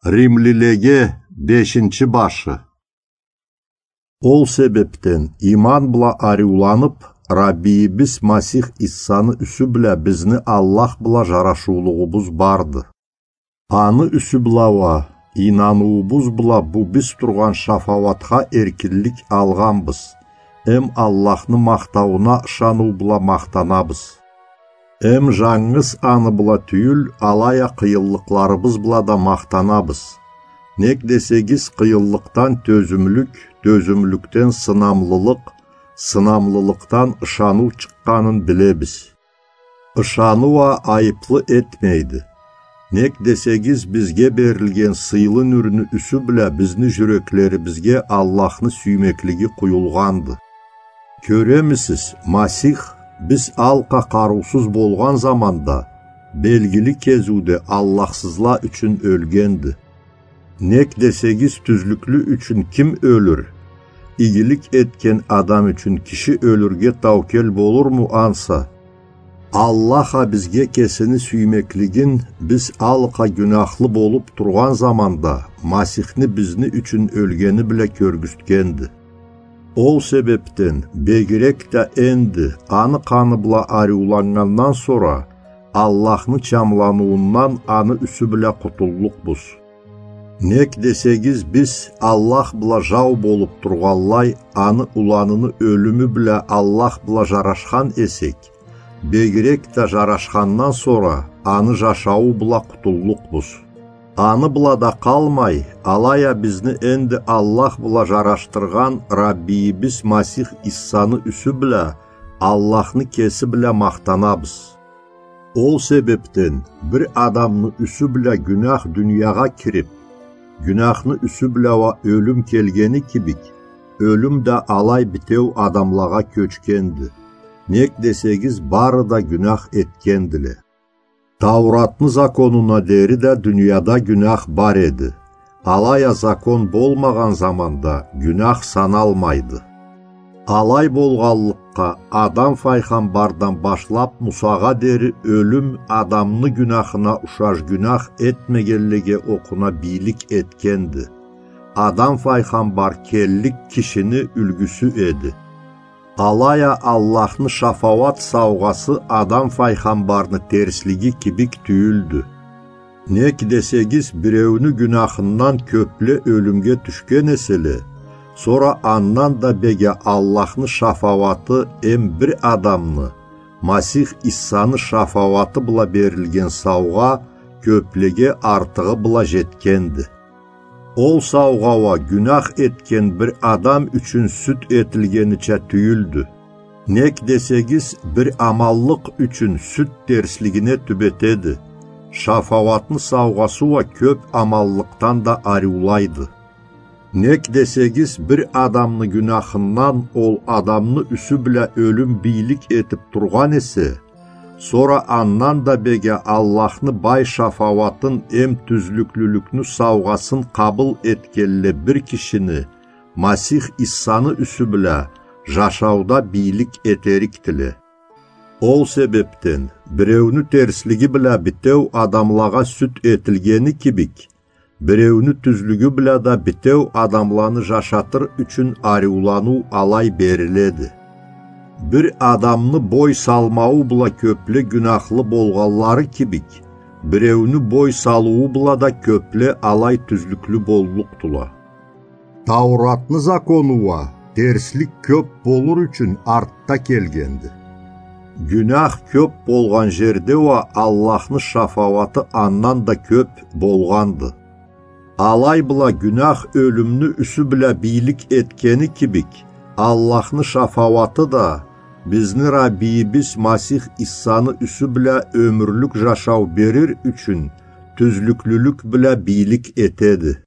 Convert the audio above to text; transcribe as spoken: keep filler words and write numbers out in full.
Римлилеге бешинчи башы. Ол себепден, иман бла ариуланып, Раббийибиз Масих Иссаны юсю бла бизни Аллах бла жарашыулугъубуз барды. Аны юсю бла уа, ийнаныуубуз бла бу биз тургъан шафауатха эркинлик алгъанбыз, эм Аллахны махтауна ышаныу бла махтанабыз. Эм жангыз аны бла тюйюл, алай а къыйынлыкъларыбыз бла да махтанабыз. Нек десегиз, къыйынлыкъдан тёзюмлюк, тёзюмлюкден сынамлылыкъ, сынамлылыкъдан ышаныу чыкъгъанын билебиз. Ышаныу а айыплы этмейди. Нек десегиз, бизге берилген сыйлы нюрню юсю бла бизни жюреклерибизге Аллахны сюймеклиги къуюлгъанды. Кёремисиз, Масих, биз алкъа къарыусуз болгъан заманда, белгили кезиуде Аллахсызла ючюн ёлгенди. Нек десегиз, тюзлюклю ючюн ким ёлюр? Игилик этген адам ючюн киши ёлюрге таукел болурму ансы? Аллах а бизге кесини сюймеклигин биз алкъа гюняхлы болуп тургъан заманда Масихни бизни ючюн ёлгени бла кёргюзтгенди. Ол себепден, бегирек да энди, аны къаны бла ариуланнгандан сора, Аллахны чамланыуундан аны юсю бла къутуллукъбуз. Нек десегиз, биз Аллах бла жау болуп тургъанлай, аны уланыны ёлюмю бла Аллах бла жарашхан эсек, бегирек да жарашхандан сора, аны жашауу бла къутуллукъбуз. Аны бла да къалмай, алай а бизни энди Аллах бла жарашдыргъан Раббийибиз Масих Иссаны юсю бла Аллахны кеси бла махтанабыз. Ол себепден, бир адамны юсю бла гюнях дуниягъа кирип, гюняхны юсю бла уа ёлюм келгени кибик, ёлюм да алай битеу адамлагъа кёчгенди. Нек десегиз, бары да гюнях этгендиле. Тауратны законуна дери да дунияда гюнях бар эди. Алай а закон болмагъан заманда гюнях саналмайды. Алай болгъанлыкъгъа, Адам файгъамбардан башлап Мусагъа дери ёлюм адамны гюняхына ушаш гюнях этмегенлеге окъуна бийлик этгенди. Адам файгъамбар келлик кишини юлгюсю эди. Алай а Аллахны шафауат саугъасы Адам файгъамбарны терслиги кибик тюйюлдю. Нек десегиз, биреуню гюняхындан кёпле ёлюмге тюшген эселе, сора андан да бек а Аллахны шафауаты эм бир адамны, Масих Иссаны шафауаты бла берилген саугъа кёплеге артыгъы бла жетгенди. Ол саугъа уа гюнях этген бир адам ючюн сюд этилгенича тюйюлдю. Нек десегиз, бир аманлыкъ ючюн сюд терслигине тюбетеди. Шафауатны саугъасы уа кёп аманлыкъдан да ариулайды. Нек десегиз, бир адамны гюняхындан ол адамны юсю бла ёлюм бийлик этип тургъан эсе, сора андан да бек а Аллахны бай шафауатын эм тюзлюклюлюкню саугъасын къабыл этгенле бир кишини Масих Иссаны юсю бла жашауда бийлик этерикдиле. Ол себепден, биреуню терслиги бла битеу адамлагъа сюд этилгени кибик, биреуню тюзлюгю бла да битеу адамланы жашатыр ючюн ариуланыу алай бериледи. Бир адамны бой салмауу бла кёпле гюняхлы болгъанлары кибик, биреуню бой салыуу бла да кёпле алай тюзлюклю боллукъдула. Тауратны закону уа терслик кёп болур ючюн артда келгенди. Гюнях кёп болгъан жерде уа Аллахны шафауаты андан да кёп болгъанды. Алай бла гюнях ёлюмню юсю бла бийлик этгени кибик, Аллахны шафауаты да бизни Раббийибиз Масих Иссаны юсю бла ёмюрлюк жашау берир ючюн тюзлюклюлюк бла бийлик этеди.